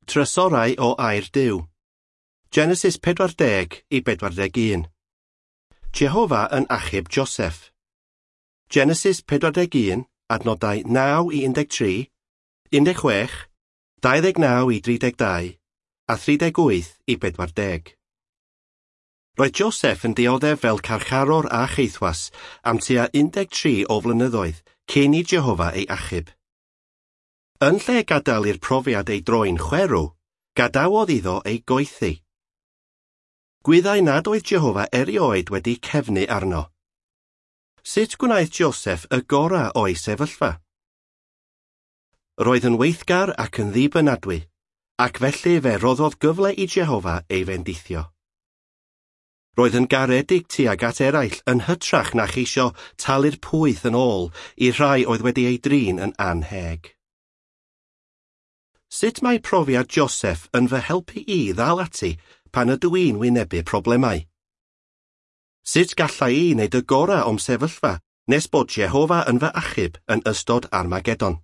Trysorau o Air Duw. Genesis 40 i 41. Jehofa yn achub Joseph. Genesis 41, adnodau 9 i 13, 16, 29 i 32 a 38 i 40. Roedd Joseph yn dioddef fel carcharor a cheithwas am tua 13 o flynyddoedd cyn i Jehofa ei achub. Yn lle gadael i'r profiad ei droi'n chwerw, gadawodd iddo ei goethi. Gwyddai nad oedd Jehofa erioed wedi cefnu arno. Sut gwnaeth Joseph y gorau o'i sefyllfa? Roedd yn weithgar ac yn ddibynadwy, ac felly fe roddodd gyfle i Jehofa ei fendithio. Roedd yn garedig tuag at eraill yn hytrach na cheisio talu'r pwyth yn ôl i'r rhai oedd wedi ei drin yn annheg. Sut mae profiad Joseph yn fy helpu i ddal ati pan ydw i'n wynebu problemau? Sut galla i wneud y gorau o'm sefyllfa nes bod Jehofa yn fy achub yn ystod Armageddon?